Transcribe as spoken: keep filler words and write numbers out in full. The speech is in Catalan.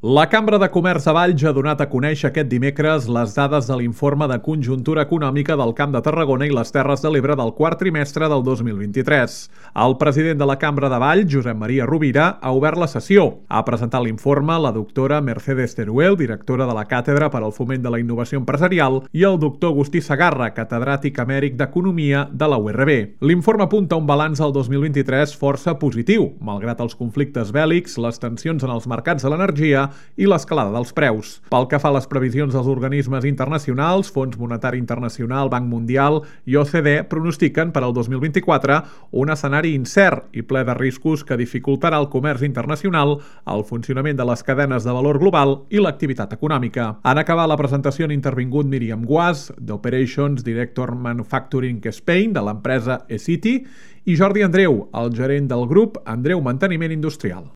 La Cambra de Comerç de Valls ha donat a conèixer aquest dimecres les dades de l'informe de conjuntura econòmica del Camp de Tarragona i les Terres de l'Ebre del quart trimestre del dos mil vint-i-tres. El president de la Cambra de Valls, Josep Maria Rovira, ha obert la sessió. Ha presentat l'informe la doctora Mercedes Teruel, directora de la Càtedra per al Foment de la Innovació Empresarial, i el doctor Agustí Segarra, catedràtic emèrit d'Economia de la U R B. L'informe apunta un balanç del dos mil vint-i-tres força positiu, malgrat els conflictes bèl·lics, les tensions en els mercats de l'energia i l'escalada dels preus. Pel que fa a les previsions dels organismes internacionals, Fons Monetari Internacional, Banc Mundial i O C D pronostiquen per al dos mil vint-i-quatre un escenari incert i ple de riscos que dificultarà el comerç internacional, el funcionament de les cadenes de valor global i l'activitat econòmica. En acabar la presentació han intervingut Míriam Guas, d'Operations Director Manufacturing Spain, de l'empresa eCity, i Jordi Andreu, el gerent del grup Andreu Manteniment Industrial.